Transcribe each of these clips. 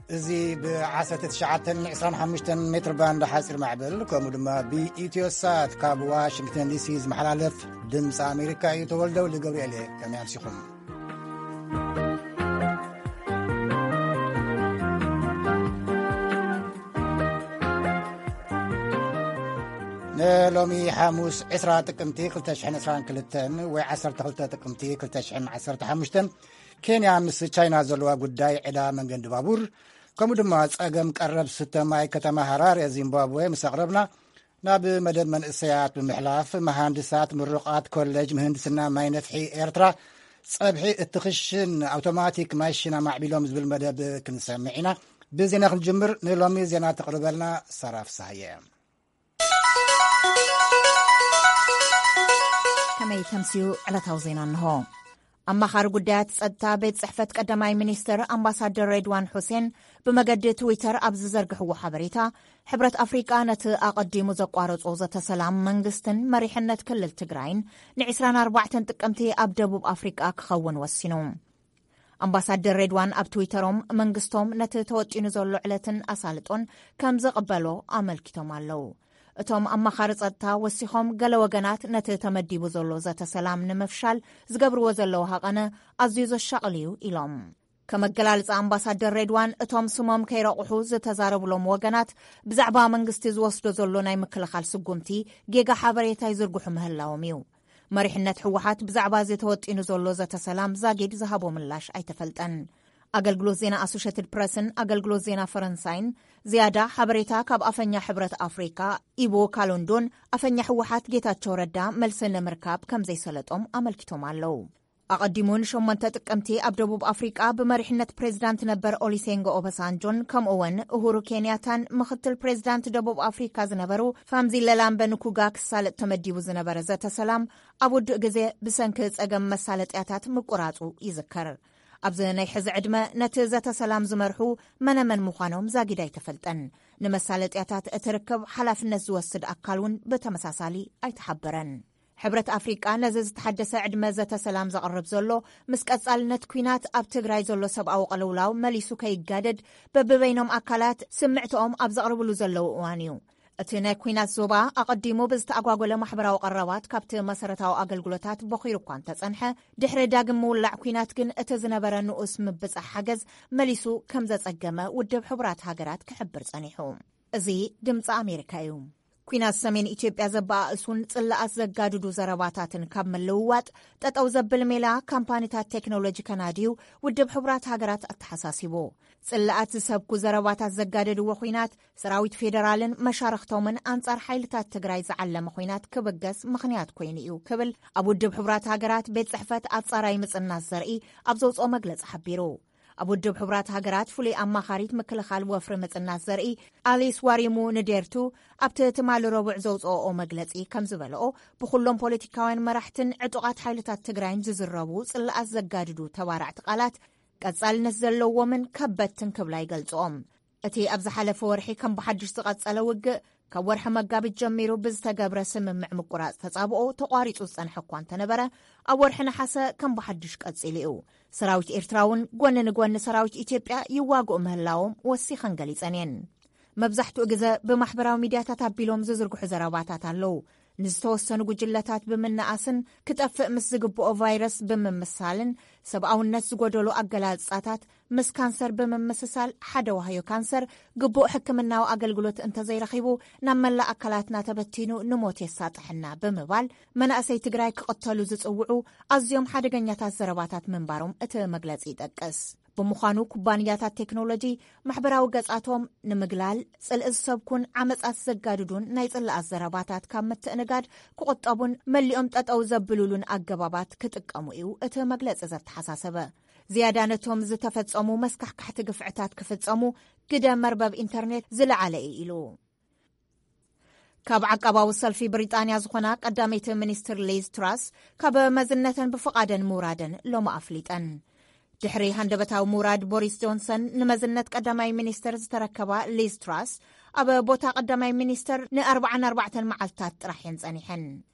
እዚ ብ19 25 ሜትር ባንድ ሓፂር ማዕበል፣ ከምኡ ድማ ብኢትዮ ሳት ካብ ዋሽንግተን ዲሲ ዝመሓላለፍ ድምፂ ኣሜሪካ እዩ። ተወልደ ወልደ ገብርኤል እየ። ከመይ ኣምሲኹም? ንሎሚ ሓሙስ ዕስራ ጥቅምቲ ክልተ ሽሕን ዕስራን ክልተን ወይ ዓሰርተ ክልተ ጥቅምቲ ክልተ ሽሕን ዓሰርተ ሓሙሽተን፣ ኬንያ ምስ ቻይና ዘለዋ ጉዳይ ዕዳ መንገዲ ባቡር፣ ከምኡ ድማ ጸገም ቀረብ ስተ ማይ ከተማ ሃራሬ ዚምባብዌ ምስ ኣቕረብና፣ ናብ መደብ መንእሰያት ብምሕላፍ፣ መሃንድሳት ምሩቓት ኮሌጅ ምህንድስና ማይ ነፍሒ ኤርትራ፣ ጸብሒ እቲ ክሽን ኣውቶማቲክ ማሽን ኣማዕቢሎም ዝብል መደብ ክንሰምዕ ኢና። ብዜና ክንጅምር፣ ንሎሚ ዜና ተቕርበልና ሳራ ፍስሃየ። ከመይ ተምስዩ ዕለታዊ ዜና እንሆ። ኣማኻሪ ጉዳያት ጸጥታ ቤት ጽሕፈት ቀዳማይ ሚኒስትር ኣምባሳደር ሬድዋን ሑሴን ብመገዲ ትዊተር ኣብ ዝዘርግሕዎ ሓበሬታ፣ ሕብረት ኣፍሪቃ ነቲ ኣቐዲሙ ዘቋረጾ ዘተ ሰላም መንግስትን መሪሕነት ክልል ትግራይን ን24 ጥቅምቲ ኣብ ደቡብ ኣፍሪቃ ክኸውን ወሲኑ። ኣምባሳደር ሬድዋን ኣብ ትዊተሮም፣ መንግስቶም ነቲ ተወጢኑ ዘሎ ዕለትን ኣሳልጦን ከም ዝቕበሎ ኣመልኪቶም ኣለዉ። እቶም ኣማኻሪ ጸጥታ ወሲኾም፣ ገለ ወገናት ነቲ ተመዲቡ ዘሎ ዘተ ሰላም ንምፍሻል ዝገብርዎ ዘለዉ ሃቐነ ኣዝዩ ዘሻቕል እዩ ኢሎም። ከም ኣገላልጻ ኣምባሳደር ሬድዋን፣ እቶም ስሞም ከይረቑሑ ዝተዛረብሎም ወገናት ብዛዕባ መንግስቲ ዝወስዶ ዘሎ ናይ ምክልኻል ስጉምቲ ጌጋ ሓበሬታ ይዝርግሑ ምህላዎም እዩ። መሪሕነት ህወሓት ብዛዕባ እዚ ተወጢኑ ዘሎ ዘተ ሰላም ዛጊድ ዝሃቦ ምላሽ ኣይተፈልጠን። ኣገልግሎት ዜና ኣሶሼትድ ፕረስን ኣገልግሎት ዜና ፈረንሳይን ዝያዳ ሓበሬታ ካብ ኣፈኛ ሕብረት ኣፍሪካ ኢቦ ካሎንዶን ኣፈኛ ህወሓት ጌታቸው ረዳ መልሲ ንምርካብ ከም ዘይሰለጦም ኣመልኪቶም ኣለዉ። ኣቐዲሙ ንሸሞንተ ጥቅምቲ ኣብ ደቡብ ኣፍሪቃ ብመሪሕነት ፕሬዚዳንት ነበር ኦሊሴንጎ ኦባሳንጆን ከምኡ እውን እሁሩ ኬንያታን ምክትል ፕሬዚዳንት ደቡብ ኣፍሪካ ዝነበሩ ፋምዚ ለላምበ ንኩጋ ክሳለጥ ተመዲቡ ዝነበረ ዘተ ሰላም ኣብ ውዱእ ግዜ ብሰንኪ ጸገም መሳለጥያታት ምቁራጹ ይዝከር። ኣብዚ ናይ ሕዚ ዕድመ ነቲ ዘተ ሰላም ዝመርሑ መነመን ምዃኖም ዛጊድ ኣይተፈልጠን። ንመሳለጥያታት እቲ ርክብ ሓላፍነት ዝወስድ ኣካል እውን ብተመሳሳሊ ኣይተሓበረን። ሕብረት ኣፍሪቃ ነዚ ዝተሓደሰ ዕድመ ዘተ ሰላም ዘቕርብ ዘሎ፣ ምስ ቀጻልነት ኲናት ኣብ ትግራይ ዘሎ ሰብኣዊ ቅልውላው መሊሱ ከይጋደድ በብበይኖም ኣካላት ስምዕትኦም ኣብ ዘቕርብሉ ዘለዉ እዋን እዩ። እቲ ናይ ኲናት ዞባ ኣቐዲሙ ብዝተኣጓጎለ ማሕበራዊ ቀረባት ካብቲ መሰረታዊ ኣገልግሎታት በኺሩ እኳ እንተጸንሐ፣ ድሕሪ ዳግም ምውላዕ ኲናት ግን እቲ ዝነበረ ንኡስ ምብጻሕ ሓገዝ መሊሱ ከም ዘጸገመ ውድብ ሕቡራት ሃገራት ክሕብር ጸኒሑ። እዚ ድምጺ ኣሜሪካ እዩ። ኲናት ሰሜን ኢትዮጵያ ዘበኣእሱን ጽላኣት ዘጋድዱ ዘረባታትን ካብ ምልውዋጥ ጠጠው ዘብል ሜላ ካምፓኒታት ቴክኖሎጂ ከናድዩ ውድብ ሕቡራት ሃገራት ኣተሓሳሲቡ። ጽላኣት ዝሰብኩ ዘረባታት ዘጋደድዎ ኲናት ሰራዊት ፌደራልን መሻርኽቶምን ኣንጻር ሓይልታት ትግራይ ዝዓለመ ኲናት ክብገስ ምኽንያት ኮይኑ እዩ ክብል ኣብ ውድብ ሕቡራት ሃገራት ቤት ጽሕፈት ኣጻራይ ምጽናት ዘርኢ ኣብ ዘውፅኦ መግለጺ ሓቢሩ። ኣብ ውድብ ሕቡራት ሃገራት ፍሉይ ኣማኻሪት ምክልኻል ወፍሪ ምጽናት ዘርኢ ኣሊስ ዋሪሙ ንዴርቱ ኣብቲ ትማሊ ረቡዕ ዘውፅኦ መግለጺ ከም ዝበለኦ፣ ብኩሎም ፖለቲካውያን መራሕትን ዕጡቓት ሓይልታት ትግራይን ዝዝረቡ ጽላኣት ዘጋድዱ ተባራዕቲ ቃላት ቀጻልነት ዘለዎምን ከበድትን ክብላ ይገልጽኦም። እቲ ኣብ ዝሓለፈ ወርሒ ከም ብሓድሽ ዝቐጸለ ውግእ፣ ካብ ወርሒ መጋቢት ጀሚሩ ብዝተገብረ ስምምዕ ምቁራጽ ተጻብኦ ተቋሪጹ ዝጸንሐ እኳ እንተነበረ፣ ኣብ ወርሒ ነሓሰ ከም ብሓድሽ ቀጺሉ እዩ። ሰራዊት ኤርትራ እውን ጎኒ ንጎኒ ሰራዊት ኢትዮጵያ ይዋግኡ ምህላዎም ወሲኸን ገሊጸን እየን። መብዛሕትኡ ግዘ ብማሕበራዊ ሚድያታት ኣቢሎም ዝዝርግሑ ዘረባታት ኣለዉ። ንዝተወሰኑ ጉጅለታት ብምንኣስን ክጠፍእ ምስ ዝግብኦ ቫይረስ ብምምሳልን ሰብኣውነት ዝጎደሎ ኣገላልጻታት ምስ ካንሰር ብምምስሳል ሓደ ዋህዮ ካንሰር ግቡእ ሕክምናዊ ኣገልግሎት እንተዘይረኺቡ ናብ መላእ ኣካላትና ተበቲኑ ንሞት የሳጥሐና ብምባል መናእሰይ ትግራይ ክቕተሉ ዝጽውዑ ኣዝዮም ሓደገኛታት ዘረባታት ምንባሮም እቲ መግለጺ ይጠቅስ። ብምዃኑ ኩባንያታት ቴክኖሎጂ ማሕበራዊ ገጻቶም ንምግላል ጽልኢ ዝሰብኩን ዓመጻት ዘጋድዱን ናይ ጽላኣት ዘረባታት ካብ ምትእንጋድ ክቑጠቡን መሊኦም ጠጠው ዘብሉሉን ኣገባባት ክጥቀሙ እዩ እቲ መግለጺ ዘተሓሳሰበ። ዝያዳ ነቶም ዝተፈጸሙ መስካሕካሕቲ ግፍዕታት ክፍጸሙ ግደ መርበብ ኢንተርኔት ዝለዓለ እዩ ኢሉ። ካብ ዓቃባዊ ሰልፊ ብሪጣንያ ዝኾና ቀዳመይቲ ሚኒስትር ሊዝ ትራስ ካብ መዝነተን ብፍቓደን ምውራደን ሎሚ ኣፍሊጠን። ድሕሪ ሃንደበታዊ ምውራድ ቦሪስ ጆንሰን ንመዝነት ቀዳማይ ሚኒስትር ዝተረከባ ሊዝ ትራስ ኣብ ቦታ ቀዳማይ ሚኒስትር ን44 መዓልታት ጥራሕ እየን ጸኒሐን።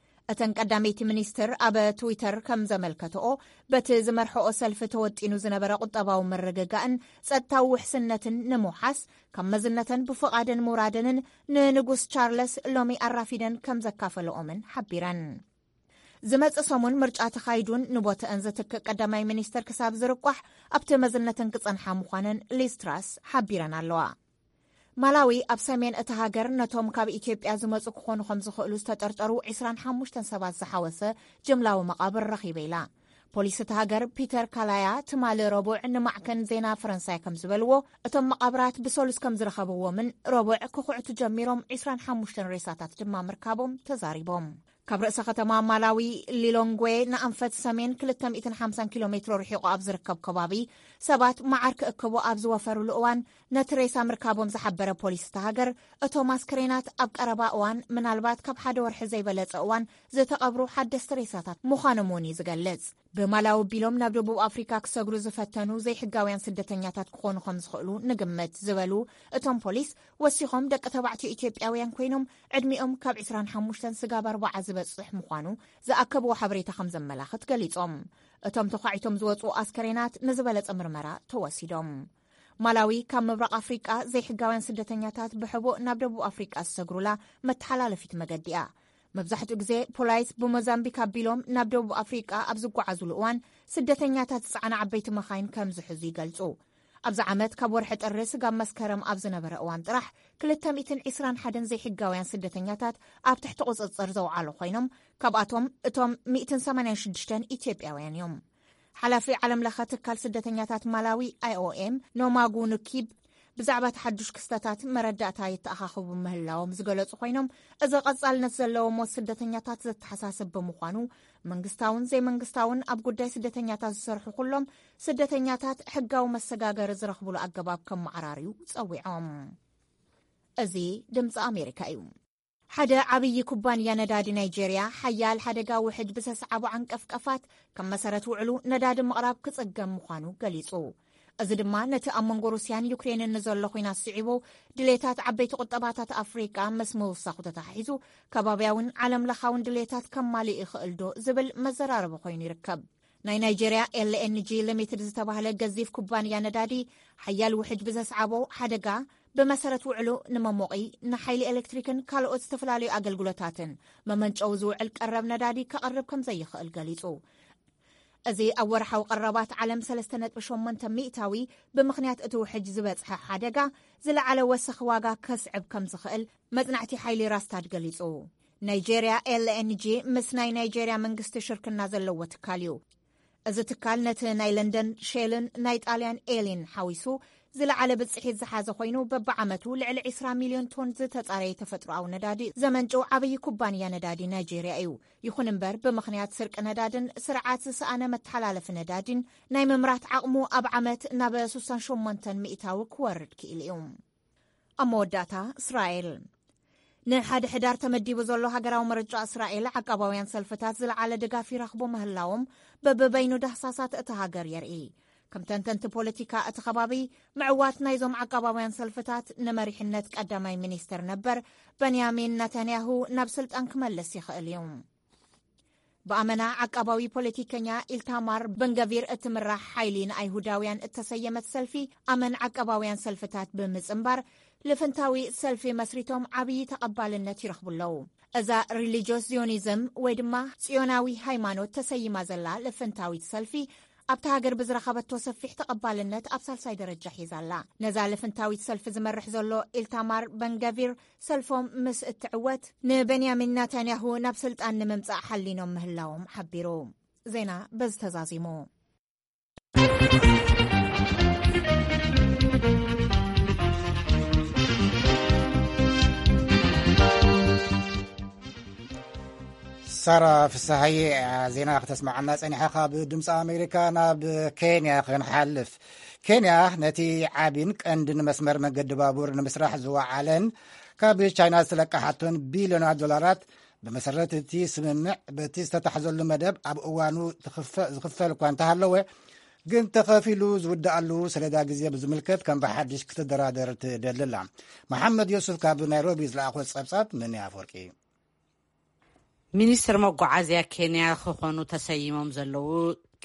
እተን ቀዳመይቲ ሚኒስትር ኣብ ትዊተር ከም ዘመልከተኦ፣ በቲ ዝመርሐኦ ሰልፊ ተወጢኑ ዝነበረ ቁጠባዊ ምርግጋእን ጸጥታዊ ውሕስነትን ንምውሓስ፣ ካብ መዝነተን ብፍቓደን ምውራደንን ንንጉስ ቻርለስ ሎሚ ኣራፊደን ከም ዘካፈለኦምን ሓቢረን። ዝመጽእ ሰሙን ምርጫ ተኻይዱን ንቦተአን ዝትክእ ቀዳማይ ሚኒስትር ክሳብ ዝርቋሕ ኣብቲ መዝነተን ክጸንሓ ምዃነን ሊዝ ትራስ ሓቢረን ኣለዋ። ማላዊ ኣብ ሰሜን እታ ሃገር ነቶም ካብ ኢትዮጵያ ዝመጹ ክኾኑ ከም ዝኽእሉ ዝተጠርጠሩ ዕስራን ሓሙሽተን ሰባት ዝሓወሰ ጅምላዊ መቓብር ረኺበ ኢላ። ፖሊስ እታ ሃገር ፒተር ካላያ ትማሊ ረቡዕ ንማዕከን ዜና ፈረንሳይ ከም ዝበልዎ፣ እቶም መቓብራት ብሰሉስ ከም ዝረኸብዎምን ረቡዕ ክኹዕቱ ጀሚሮም ዕስራን ሓሙሽተን ሬሳታት ድማ ምርካቦም ተዛሪቦም። ካብ ርእሰ ከተማ ማላዊ ሊሎንግዌ ንኣንፈት ሰሜን ክልተ ሚእትን ሓምሳን ኪሎ ሜትሮ ርሒቑ ኣብ ዝርከብ ከባቢ ሰባት መዓር ክእክቡ ኣብ ዝወፈሩሉ እዋን ነቲ ሬሳ ምርካቦም ዝሓበረ ፖሊስ እታ ሃገር፣ እቶም ኣስክሬናት ኣብ ቀረባ እዋን፣ ምናልባት ካብ ሓደ ወርሒ ዘይበለጸ እዋን፣ ዝተቐብሩ ሓደስቲ ሬሳታት ምዃኖም እውን እዩ ዝገልጽ። ብማላዊ ኣቢሎም ናብ ደቡብ ኣፍሪካ ክሰግሩ ዝፈተኑ ዘይሕጋውያን ስደተኛታት ክኾኑ ከም ዝኽእሉ ንግምት ዝበሉ እቶም ፖሊስ፣ ወሲኾም ደቂ ተባዕትዮ ኢትዮጵያውያን ኮይኖም ዕድሚኦም ካብ ዕስራን ሓሙሽተን ስጋብ ኣርባዓ ዝበጽሕ ምዃኑ ዝኣከብዎ ሓበሬታ ከም ዘመላኽት ገሊጾም። እቶም ተዃዒቶም ዝወጹ ኣስከሬናት ንዝበለጸ ምርመራ ተወሲዶም። ማላዊ ካብ ምብራቕ ኣፍሪቃ ዘይሕጋውያን ስደተኛታት ብሕቡእ ናብ ደቡብ ኣፍሪቃ ዝሰግሩላ መተሓላለፊት መገዲ እያ። መብዛሕትኡ ግዜ ፖላይስ ብሞዛምቢክ ኣቢሎም ናብ ደቡብ ኣፍሪቃ ኣብ ዝጓዓዙሉ እዋን ስደተኛታት ዝጸዓና ዓበይቲ መኻይን ከም ዝሕዙ ይገልጹ። ኣብዚ ዓመት ካብ ወርሒ ጥሪ ስጋብ መስከረም ኣብ ዝነበረ እዋን ጥራሕ ክልተ ሚእትን ዕስራን ሓደን ዘይሕጋውያን ስደተኛታት ኣብ ትሕቲ ቁጽጽር ዘውዓሉ ኮይኖም፣ ካብኣቶም እቶም ሚእትን ሰማንያን ሽዱሽተን ኢትዮጵያውያን እዮም። ሓላፊ ዓለም ለኸ ትካል ስደተኛታት ማላዊ ኣይኦኤም ኖማጉ ንኪብ ብዛዕባ እቲ ሓዱሽ ክስተታት መረዳእታ የተኣኻኽቡ ምህላዎም ዝገለጹ ኮይኖም፣ እዚ ቀጻልነት ዘለዎ ሞት ስደተኛታት ዘተሓሳስብ ብምዃኑ፣ መንግስታውን ዘይመንግስታውን ኣብ ጉዳይ ስደተኛታት ዝሰርሑ ኩሎም ስደተኛታት ሕጋዊ መሰጋገሪ ዝረኽብሉ ኣገባብ ከመዓራርዩ ጸዊዖም። እዚ ድምፂ ኣሜሪካ እዩ። ሓደ ዓብዪ ኩባንያ ነዳዲ ናይጄርያ ሓያል ሓደጋ ውሕጅ ብዘስዓቦ ዓንቀፍቀፋት ከም መሰረት ውዕሉ ነዳዲ ምቕራብ ክጽገም ምዃኑ ገሊጹ። እዚ ድማ ነቲ ኣብ መንጎ ሩስያን ዩክሬንን ንዘሎ ኲናት ስዒቡ ድሌታት ዓበይቲ ቁጠባታት ኣፍሪቃ ምስ ምውሳኹ ተተሓሒዙ ከባብያውን ዓለም ለኻውን ድሌታት ከማልእ ይኽእል ዶ ዝብል መዘራረቢ ኮይኑ ይርከብ። ናይ ናይጄርያ ኤልኤንጂ ሊሚትድ ዝተባህለ ገዚፍ ኩባንያ ነዳዲ ሓያል ውሕጅ ብዘስዓቦ ሓደጋ ብመሰረት ውዕሉ ንመሞቒ፣ ንሓይሊ ኤሌክትሪክን ካልኦት ዝተፈላለዩ ኣገልግሎታትን መመንጨዊ ዝውዕል ቀረብ ነዳዲ ከቕርብ ከም ዘይኽእል ገሊጹ። እዚ ኣብ ወርሓዊ ቀረባት ዓለም ሰለስተ ነጥቢ ሸሞንተ ሚእታዊ ብምኽንያት እቲ ውሕጅ ዝበጽሐ ሓደጋ ዝለዓለ ወሰኽ ዋጋ ከስዕብ ከም ዝኽእል መጽናዕቲ ሓይሊ ራስታድ ገሊጹ። ናይጄርያ ኤልኤንጂ ምስ ናይ ናይጄርያ መንግስቲ ሽርክና ዘለዎ ትካል እዩ። እዚ ትካል ነቲ ናይ ለንደን ሼልን ናይ ጣልያን ኤሊን ሓዊሱ ዝለዓለ ብጽሒት ዝሓዘ ኮይኑ፣ በብዓመቱ ልዕሊ ዕስራ ሚልዮን ቶን ዝተጻረየ ተፈጥሮኣዊ ነዳዲ ዘመንጭው ዓብዪ ኩባንያ ነዳዲ ናይጄርያ እዩ። ይኹን እምበር፣ ብምኽንያት ስርቂ ነዳድን ስርዓት ዝሰኣነ መተሓላለፊ ነዳዲን ናይ ምምራት ዓቕሙ ኣብ ዓመት ናብ ስሳን ሸሞንተን ሚእታዊ ክወርድ ክኢሉ እዩ። ኣብ መወዳእታ፣ እስራኤል። ንሓደ ሕዳር ተመዲቡ ዘሎ ሃገራዊ ምርጫ እስራኤል ዓቃባውያን ሰልፍታት ዝለዓለ ድጋፍ ይረኽቡ ምህላዎም በብበይኑ ዳህሳሳት እታ ሃገር የርኢ። ከም ተንተንቲ ፖለቲካ እቲ ከባቢ፣ ምዕዋት ናይዞም ዓቃባውያን ሰልፍታት ንመሪሕነት ቀዳማይ ሚኒስትር ነበር በንያሚን ነታንያሁ ናብ ስልጣን ክመልስ ይኽእል እዩ። ብኣመና ዓቃባዊ ፖለቲከኛ ኢልታማር በንገቪር እትምራሕ ሓይሊ ንኣይሁዳውያን እተሰየመት ሰልፊ ኣመን ዓቃባውያን ሰልፍታት ብምጽንባር ልፍንታዊ ሰልፊ መስሪቶም ዓብዪ ተቐባልነት ይረኽቡ ኣለዉ። እዛ ሪሊጂዮስ ዚዮኒዝም ወይ ድማ ጽዮናዊ ሃይማኖት ተሰይማ ዘላ ልፍንታዊት ሰልፊ ኣብታ ሃገር ብዝረኸበቶ ሰፊሕ ተቐባልነት ኣብ ሳልሳይ ደረጃ ሒዛ ኣላ። ነዛ ልፍንታዊት ሰልፊ ዝመርሕ ዘሎ ኢልታማር በንገቪር ሰልፎም ምስ እትዕወት ንቤንያሚን ናታንያሁ ናብ ስልጣን ንምምጻእ ሓሊኖም ምህላዎም ሓቢሩ። ዜና በዚ ተዛዚሙ። ሳራ ፍስሃየ እያ ዜና ክተስምዓና ጸኒሓ። ካብ ድምፂ ኣሜሪካ ናብ ኬንያ ክንሓልፍ። ኬንያ ነቲ ዓቢን ቀንድን መስመር መገዲ ባቡር ንምስራሕ ዝወዓለን ካብ ቻይና ዝተለቃሓቶን ቢልዮናት ዶላራት፣ ብመሰረት እቲ ስምምዕ በቲ ዝተታሕዘሉ መደብ ኣብ እዋኑ ዝኽፈል እኳ እንተሃለወ፣ ግን ተኸፊሉ ዝውድኣሉ ሰሌዳ ግዜ ብዝምልከት ከም ብሓድሽ ክትደራደር ትደሊ ኣላ። መሓመድ ዮሱፍ ካብ ናይሮቢ ዝለኣኾ ጸብጻብ ምን ኣፈወርቂ። ሚኒስትር መጓዓዝያ ኬንያ ክኾኑ ተሰይሞም ዘለዉ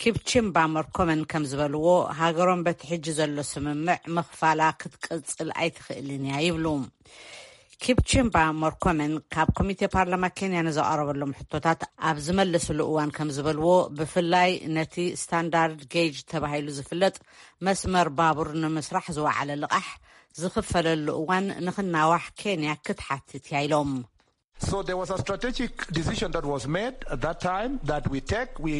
ኪፕቺምባ መርኮመን ከም ዝበልዎ፣ ሃገሮም በቲ ሕጂ ዘሎ ስምምዕ ምኽፋላ ክትቅጽል ኣይትኽእልን እያ ይብሉ። ኪፕቺምባ መርኮመን ካብ ኮሚቴ ፓርላማ ኬንያ ንዘቐረበሎም ሕቶታት ኣብ ዝመለስሉ እዋን ከም ዝበልዎ፣ ብፍላይ ነቲ ስታንዳርድ ጌጅ ተባሂሉ ዝፍለጥ መስመር ባቡር ንምስራሕ ዝወዓለ ልቓሕ ዝኽፈለሉ እዋን ንኽናዋሕ ኬንያ ክትሓትት እያ ኢሎም። So there was a strategic decision that was made at that time that we take, we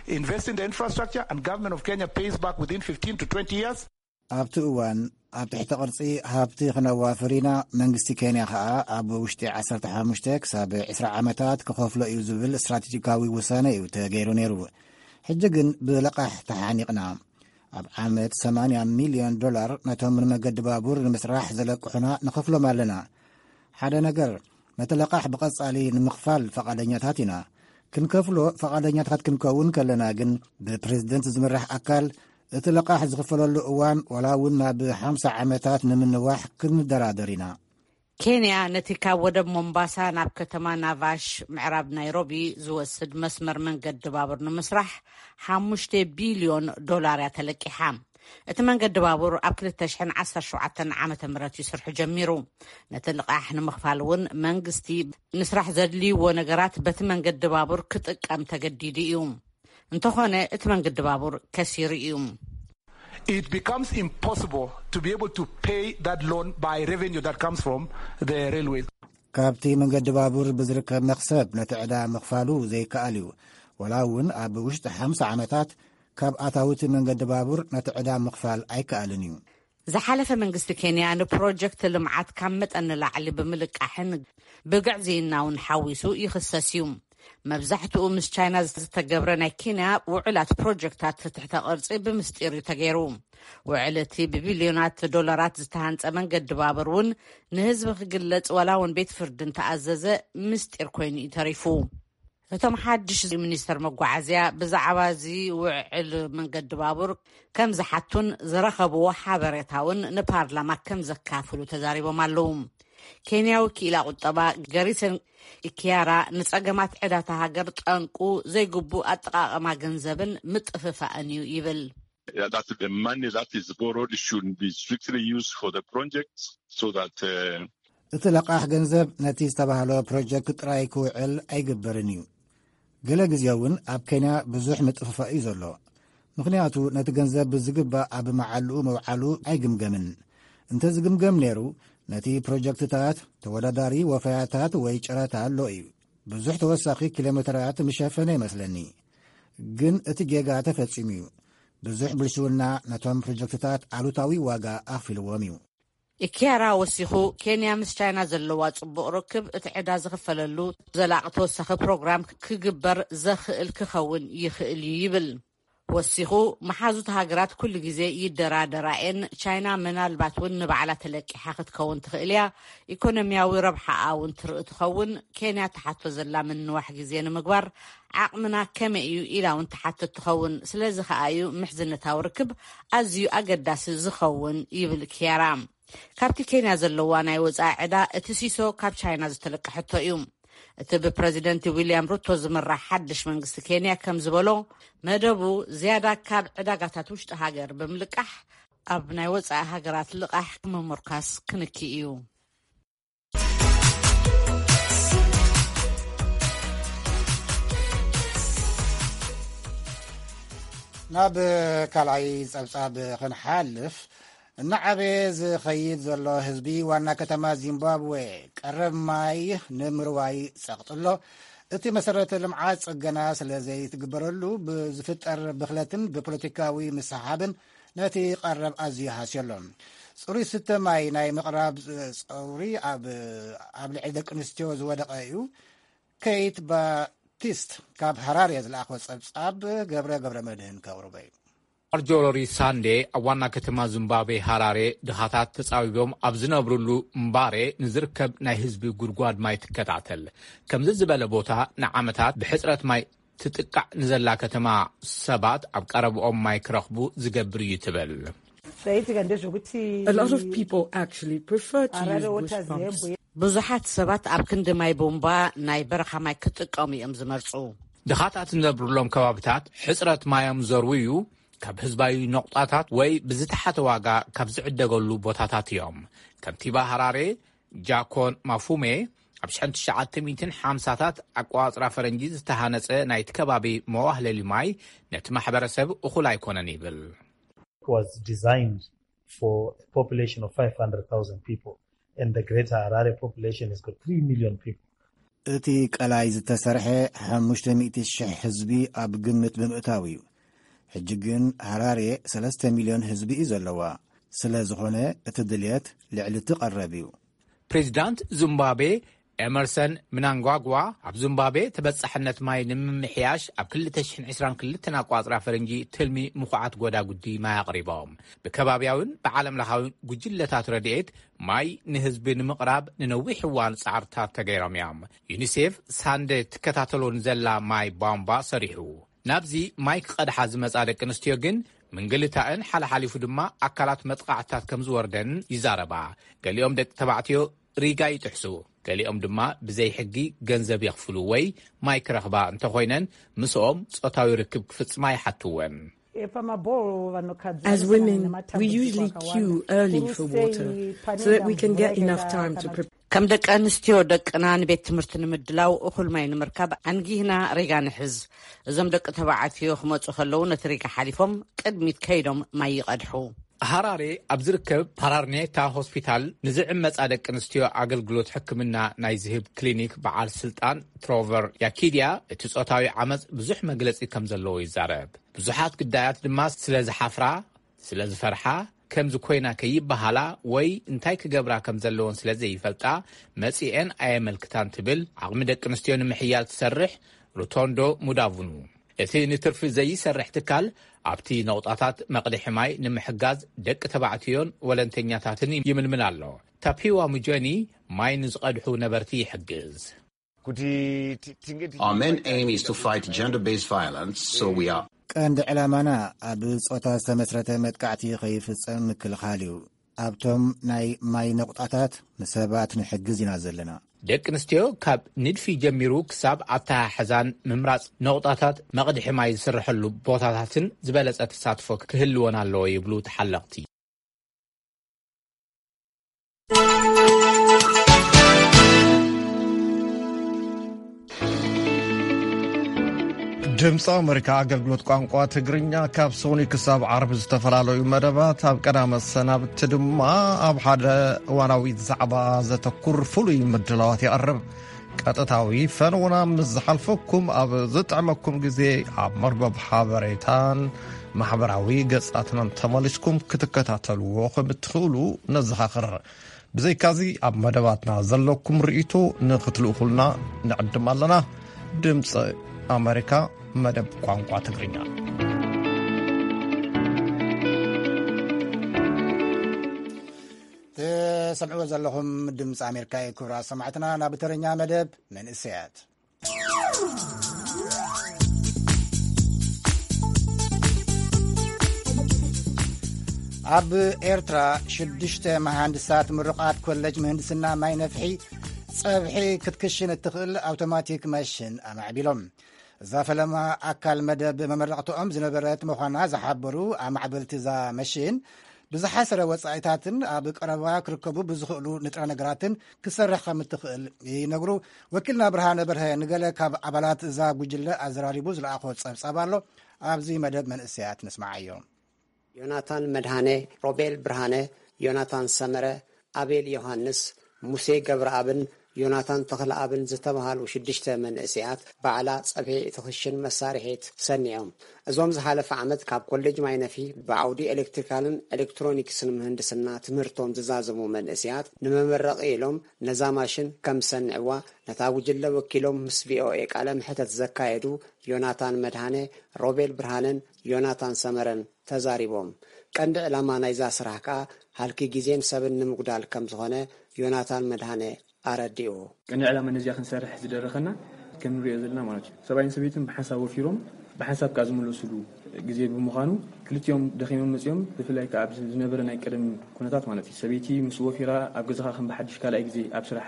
invest in the infrastructure, and government of Kenya pays back within fifteen to twenty years. ኣብቲ እዋን ኣብ ትሕቲ ቅርጺ ሃብቲ ክነዋፍር ኢና፣ መንግስቲ ኬንያ ከኣ ኣብ ውሽጢ ዓሰርተ ሓሙሽተ ክሳብ ዕስራ ዓመታት ክኸፍሎ እዩ ዝብል ስትራቴጂካዊ ውሳነ እዩ ተገይሩ ነይሩ። ሕጂ ግን ብለቓሕ ተሓኒቕና። ኣብ ዓመት ሰማንያ ሚልዮን ዶላር ነቶም ንመገዲ ባቡር ንምስራሕ ዘለቅሑና ንኸፍሎም ኣለና። ሓደ ነገር፣ ነቲ ለቓሕ ብቐጻሊ ንምኽፋል ፈቓደኛታት ኢና። ክንከፍሎ ፈቓደኛታት ክንከውን ከለና ግን፣ ብፕሬዝደንት ዝምራሕ ኣካል እቲ ለቓሕ ዝኽፈለሉ እዋን ዋላ እውን ናብ ሓምሳ ዓመታት ንምንዋሕ ክንደራደር ኢና። ኬንያ ነቲ ካብ ወደብ ሞምባሳ ናብ ከተማ ናቫሽ ምዕራብ ናይሮቢ ዝወስድ መስመር መንገዲ ባቡር ንምስራሕ ሓሙሽተ ቢልዮን ዶላር እያ ተለቂሓ። እቲ መንገዲ ባቡር ኣብ ክልተ ሽሕን ዓሰርተ ሸውዓተን ዓመተ ምህረት እዩ ስርሑ ጀሚሩ። ነቲ ልቓሕ ንምኽፋል እውን መንግስቲ ንስራሕ ዘድልይዎ ነገራት በቲ መንገዲ ባቡር ክጥቀም ተገዲዱ እዩ። እንተኾነ እቲ መንገዲ ባቡር ከሲሩ እዩ። It becomes impossible to be able to pay that loan by revenue that comes from the railway. ካብቲ መንገዲ ባቡር ብዝርከብ መኽሰብ ነቲ ዕዳ ምኽፋሉ ዘይከኣል እዩ። ወላ እውን ኣብ ውሽጢ ሓምሳ ዓመታት ካብ ኣታዊ እቲ መንገዲ ባቡር ነቲ ዕዳ ምኽፋል ኣይከኣልን እዩ። ዝሓለፈ መንግስቲ ኬንያ ንፕሮጀክት ልምዓት ካብ መጠን ንላዕሊ ብምልቃሕን ብግዕዝይና እውን ሓዊሱ ይኽሰስ እዩ። መብዛሕትኡ ምስ ቻይና ዝተገብረ ናይ ኬንያ ውዕላት ፕሮጀክታት ትሕተ ቅርጺ ብምስጢር እዩ ተገይሩ። ውዕል እቲ ብቢልዮናት ዶላራት ዝተሃንጸ መንገዲ ባቡር እውን ንህዝቢ ክግለጽ ዋላ እውን ቤት ፍርዲ እንተኣዘዘ ምስጢር ኮይኑ እዩ ተሪፉ። እቶም ሓድሽ ሚኒስተር መጓዓዝያ ብዛዕባ እዚ ውዕል መንገዲ ባቡር ከም ዝሓቱን ዝረኸብዎ ሓበሬታ እውን ንፓርላማ ከም ዘካፍሉ ተዛሪቦም ኣለዉ። ኬንያዊ ክኢላ ቁጠባ ገሪሰን ኢኪያራ ንጸገማት ዕዳታ ሃገር ጠንቁ ዘይግቡእ ኣጠቓቕማ ገንዘብን ምጥፍፋእን እዩ ይብል። Yeah, that the money that is borrowed should be strictly used for the project so that uh, እቲ ለቓሕ ገንዘብ ነቲ ዝተባህሎ ፕሮጀክት ጥራይ ክውዕል ኣይግበርን እዩ። ገለ ግዜ እውን ኣብ ኬንያ ብዙሕ ምጥፍፋእ እዩ ዘሎ። ምኽንያቱ ነቲ ገንዘብ ብዝግባእ ኣብ መዓልኡ መውዓሉ ኣይግምገምን። እንተ ዝግምገም ነይሩ፣ ነቲ ፕሮጀክትታት ተወዳዳሪ ወፈያታት ወይ ጨረታ ኣሎ እዩ። ብዙሕ ተወሳኺ ኪሎሜትራት ምሸፈነ ይመስለኒ። ግን እቲ ጌጋ ተፈጺሙ እዩ። ብዙሕ ብልሽውና ነቶም ፕሮጀክትታት ኣሉታዊ ዋጋ ኣኽፊልዎም እዩ። ኢኪያራ ወሲኹ፣ ኬንያ ምስ ቻይና ዘለዋ ጽቡቕ ርክብ እቲ ዕዳ ዝኽፈለሉ ዘላቒ ተወሳኺ ፕሮግራም ክግበር ዘኽእል ክኸውን ይኽእል እዩ ይብል። ወሲኹ፣ መሓዙት ሃገራት ኩሉ ግዜ ይደራደራ እየን። ቻይና ምናልባት እውን ንባዕላ ተለቂሓ ክትከውን ትኽእል እያ። ኢኮኖሚያዊ ረብሓኣ እውን ትርኢ ትኸውን። ኬንያ ትሓቶ ዘላ ምንዋሕ ግዜ ንምግባር ዓቕምና ከመይ እዩ ኢላ እውን ትሓትት ትኸውን። ስለዚ ከኣ እዩ ምሕዝነታዊ ርክብ ኣዝዩ ኣገዳሲ ዝኸውን ይብል ኪያራ። ካብቲ ኬንያ ዘለዋ ናይ ወጻኢ ዕዳ እቲ ሲሶ ካብ ቻይና ዝተለቀሐቶ እዩ። እቲ ብፕረዚደንት ዊልያም ሩቶ ዝምራሕ ሓድሽ መንግስቲ ኬንያ ከም ዝበሎ፣ መደቡ ዝያዳ ካብ ዕዳጋታት ውሽጢ ሃገር ብምልቃሕ ኣብ ናይ ወጻኢ ሃገራት ልቓሕ ምምርካስ ክንኪ እዩ። ናብ ካልኣይ ጸብጻብ ክንሓልፍ፣ እናዓበየ ዝኸይድ ዘሎ ህዝቢ ዋና ከተማ ዚምባብዌ ቀረብ ማይ ንምርዋይ ጸቕጥሎ። እቲ መሰረተ ልምዓት ጽገና ስለ ዘይትግበረሉ ብዝፍጠር ብኽለትን ብፖለቲካዊ ምስሓብን ነቲ ቀረብ ኣዝዩ ሃስዮ ኣሎ። ጽሩይ ስተ ማይ ናይ ምቕራብ ጸውሪ ኣብ ኣብ ልዕሊ ደቂ ኣንስትዮ ዝወደቐ እዩ። ኬት ባፕቲስት ካብ ሃራሬ ዝለኣኸ ጸብጻብ ገብረ ገብረ መድህን ከቕርቦ እዩ። ማርጆሪ ሳንዴ ኣብ ዋና ከተማ ዚምባብዌ ሃራሬ ድኻታት ተጻዊቦም ኣብ ዝነብርሉ እምባሬ ንዝርከብ ናይ ህዝቢ ጉድጓድ ማይ ትከታተል። ከምዚ ዝበለ ቦታ ንዓመታት ብሕጽረት ማይ ትጥቃዕ ንዘላ ከተማ ሰባት ኣብ ቀረብኦም ማይ ክረኽቡ ዝገብር እዩ ትብል። A lot of people actually prefer to use bush pumps. ብዙሓት ሰባት ኣብ ክንዲ ማይ ቡምባ ናይ በረኻ ማይ ክጥቀሙ እዮም ዝመርጹ። ድኻታት ዝነብሩሎም ከባብታት ሕጽረት ማዮም ዘርውዩ፣ ካብ ህዝባዊ ነቑጣታት ወይ ብዝተሓተ ዋጋ ካብ ዝዕደገሉ ቦታታት እዮም። ከንቲባ ሃራሬ ጃኮን ማፉሜ፣ ኣብ ሸንትሽዓተ ሚእትን ሓምሳታት ኣቋጽራ ፈረንጂ ዝተሃነጸ ናይቲ ከባቢ መዋህለሊ ማይ ነቲ ማሕበረሰብ እኹል ኣይኮነን ይብል። Was designed for a population of five hundred thousand people, and the greater Harare population has got three million people. እቲ ቀላይ ዝተሰርሐ ሓሙሽተ ሚእቲ ሽሕ ህዝቢ ኣብ ግምት ብምእታው እዩ። ሕጂ ግን ሃራሬ ሰለስተ ሚልዮን ህዝቢ እዩ ዘለዋ። ስለ ዝኾነ እቲ ድልየት ልዕሊ እቲ ቀረብ እዩ። ፕሬዚዳንት ዚምባብዌ ኤመርሰን ምናንጓጓ ኣብ ዚምባብዌ ተበጻሕነት ማይ ንምምሕያሽ ኣብ ክልተ ሽሕን ዕስራን ክልተን ኣቋጽራ ፈረንጂ ትልሚ ምኹዓት ጎዳጉዲ ማይ ኣቕሪቦም። ብከባብያውን ብዓለም ለኻዊ ጉጅለታት ረድኤት ማይ ንህዝቢ ንምቕራብ ንነዊሕ እዋን ጻዕርታት ተገይሮም እዮም። ዩኒሴፍ ሳንደ ትከታተሎ ንዘላ ማይ ቧንቧ ሰሪሑ። ናብዚ ማይ ክቐድሓ ዝመጻ ደቂ ኣንስትዮ ግን ምንግልታእን ሓለሓሊፉ ድማ ኣካላት መጥቓዕትታት ከም ዝወርደን ይዛረባ። ገሊኦም ደቂ ተባዕትዮ ሪጋ ይጥሕሱ፣ ገሊኦም ድማ ብዘይ ሕጊ ገንዘብ የኽፍሉ ወይ ማይ ክረኽባ እንተኾይነን ምስኦም ጾታዊ ርክብ ክፍጽማ ይሓትወን። As women, we usually queue early for water so that we can get enough time to prepare. ከም ደቂ ኣንስትዮ ደቅና ንቤት ትምህርቲ ንምድላው እኹል ማይ ንምርካብ ኣንጊህና ሪጋ ንሕዝ። እዞም ደቂ ተባዕትዮ ክመጹ ከለዉ ነቲ ሪጋ ሓሊፎም ቅድሚት ከይዶም ማይ ይቐድሑ። ሃራሬ ኣብ ዝርከብ ፓራርኔታ ሆስፒታል ንዝዕመጻ ደቂ ኣንስትዮ ኣገልግሎት ሕክምና ናይ ዝህብ ክሊኒክ በዓል ስልጣን ትሮቨር ያኪድያ፣ እቲ ጾታዊ ዓመጽ ብዙሕ መግለጺ ከም ዘለዎ ይዛረብ። ብዙሓት ግዳያት ድማ ስለ ዝሓፍራ፣ ስለ ዝፈርሓ፣ ከምዚ ኮይና ከይበሃላ ወይ እንታይ ክገብራ ከም ዘለወን ስለ ዘይፈልጣ መጺኤን ኣየመልክታን ትብል ዓቕሚ ደቂ ኣንስትዮ ንምሕያል ትሰርሕ ሩቶንዶ ሙዳቭኑ። እቲ ንትርፊ ዘይሰርሕ ትካል ኣብቲ ነቑጣታት መቕድሒ ማይ ንምሕጋዝ ደቂ ተባዕትዮን ወለንተኛታትን ይምልምል ኣሎ። ታፒዋ ሙጆኒ ማይ ንዝቐድሑ ነበርቲ ይሕግዝ። Our main aim is to fight gender-based violence, so we are ቀንዲ ዕላማና ኣብ ጾታ ዝተመስረተ መጥቃዕቲ ከይፍጸም ምክልኻል እዩ። ኣብቶም ናይ ማይ ነቑጣታት ንሰባት ንሕግዝ ኢና ዘለና። ደቂ ኣንስትዮ ካብ ንድፊ ጀሚሩ ክሳብ ኣተሓሕዛን ምምራጽ ነቑጣታት መቕድሒ ማይ ዝስርሐሉ ቦታታትን ዝበለጸ ተሳትፎ ክህልወን ኣለዎ ይብሉ ተሓለቕቲ። ድምፂ ኣመሪካ ኣገልግሎት ቋንቋ ትግርኛ ካብ ሶኒ ክሳብ ዓርቢ ዝተፈላለዩ መደባት፣ ኣብ ቀዳመ ሰናብቲ ድማ ኣብ ሓደ እዋናዊ ዛዕባ ዘተኩር ፍሉይ ምድላዋት የቕርብ። ቀጥታዊ ፈነውና ምስ ዝሓልፈኩም ኣብ ዝጥዕመኩም ግዜ ኣብ መርበብ ሓበሬታን ማሕበራዊ ገጻትናን ተመሊስኩም ክትከታተልዎ ከም እትኽእሉ ነዘኻኽር። ብዘይካዚ ኣብ መደባትና ዘለኩም ርእይቶ ንክትልእኹልና ንዕድም ኣለና። ድምፂ ኣመሪካ መደብ ቋንቋ ትግርኛ። ትሰምዕዎ ዘለኹም ድምፂ ኣሜሪካ እዩ። ክቡራት ሰማዕትና፣ ናብ ተረኛ መደብ መንእሰያት። ኣብ ኤርትራ ሽዱሽተ መሃንድሳት ምሩቓት ኮለጅ ምህንድስና ማይ ነፍሒ ጸብሒ ክትክሽን እትኽእል ኣውቶማቲክ መሽን ኣማዕቢሎም። እዛ ፈለማ ኣካል መደብ መመረቕትኦም ዝነበረት ምዃና ዝሓበሩ ኣማዕበልቲ እዛ መሽን፣ ብዝሓሰረ ወጻኢታትን ኣብ ቀረባ ክርከቡ ብዝኽእሉ ንጥረ ነገራትን ክሰርሕ ከም እትኽእል ይነግሩ። ወኪልና ብርሃነ በርሀ ንገለ ካብ ኣባላት እዛ ጉጅለ ኣዘራሪቡ ዝለኣኾ ጸብጻብ ኣሎ። ኣብዚ መደብ መንእሰያት ንስማዓዮ። ዮናታን መድሃነ፣ ሮቤል ብርሃነ፣ ዮናታን ሰመረ፣ ኣቤል ዮሃንስ፣ ሙሴ ገብረኣብን ዮናታን ተኽለኣብን ዝተባህሉ ሽዱሽተ መንእሰያት ባዕላ ጸብሒ እትኽሽን መሳርሒት ሰኒዖም። እዞም ዝሓለፈ ዓመት ካብ ኮሌጅ ማይነፊ ብዓውዲ ኤሌክትሪካልን ኤሌክትሮኒክስን ምህንድስና ትምህርቶም ዝዛዘሙ መንእሰያት ንመመረቒ ኢሎም ነዛ ማሽን ከም ዝሰንዕዋ ነታ ጉጅለ ወኪሎም ምስ ቪኦኤ ቃለ መሕተት ዘካየዱ ዮናታን መድሃነ፣ ሮቤል ብርሃነን ዮናታን ሰመረን ተዛሪቦም። ቀንዲ ዕላማ ናይዛ ስራሕ ከኣ ሃልኪ ግዜን ሰብን ንምጉዳል ከም ዝኾነ ዮናታን መድሃነ ኣረዲኡ። ቀንዲ ዕላማ ነዚኣ ክንሰርሕ ዝደረኸና ከም ንሪኦ ዘለና ማለት እዩ። ሰብኣይን ሰበይትን ብሓንሳብ ወፊሮም ብሓንሳብ ከኣ ዝምለስሉ ግዜ ብምዃኑ ክልቲኦም ደኺሞም መጺኦም፣ ብፍላይ ከዓ ኣብዚ ዝነበረ ናይ ቀደም ኩነታት ማለት እዩ፣ ሰበይቲ ምስ ወፊራ ኣብ ገዛኻ ከም ብሓድሽ ካልኣይ ግዜ ኣብ ስራሕ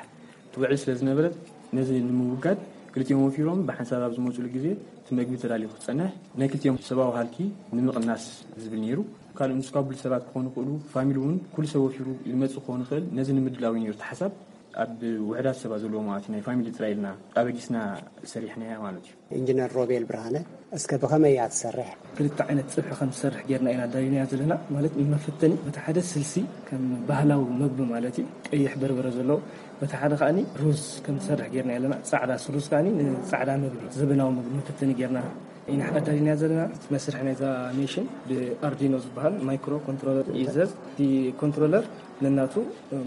ትውዕል ስለ ዝነበረት፣ ነዚ ንምውጋድ ክልቲኦም ወፊሮም ብሓንሳብ ኣብ ዝመፅሉ ግዜ እቲ መግቢ ተዳልዩ ክፀንሕ ናይ ክልቲኦም ሰብኣዊ ሃልኪ ንምቕናስ ዝብል ነይሩ። ካልእ ምስ ካቡል ሰባት ክኾኑ ይኽእሉ፣ ፋሚሊ እውን ኩሉ ሰብ ወፊሩ ዝመፅእ ክኾን ይኽእል። ነዚ ንምድላው እዩ ነይሩ እቲ ሓሳብ። ኣብ ውሕዳት ሰባት ዘለዎ ማለት እዩ፣ ናይ ፋሚሊ ጥራይ ኢልና ኣበጊስና ሰሪሕናያ ማለት እዩ። ኢንጂነር ሮቤል ብርሃነ፣ እስከ ብኸመይ እያ ትሰርሕ? ክልተ ዓይነት ጽብሒ ከም ትሰርሕ ጌርና ኢና ኣዳሊናያ ዘለና። ማለት ንመፈተኒ በቲ ሓደ ስልሲ ከም ባህላዊ መግቢ ማለት እዩ፣ ቀይሕ በርበረ ዘለዎ፣ በቲ ሓደ ከኣኒ ሩዝ ከም ትሰርሕ ጌርና ኣለና። ጻዕዳ ሩዝ ከኣኒ ንጻዕዳ መግቢ፣ ዘበናዊ መግቢ መፈተኒ ጌርና ኢና ኣዳሊናያ ዘለና። እቲ መስርሕ ናይዛ ሜሽን ብኣርዲኖ ዝበሃል ማይክሮ ኮንትሮለር ይእዘዝ። እቲ ኮንትሮለር ነናቱ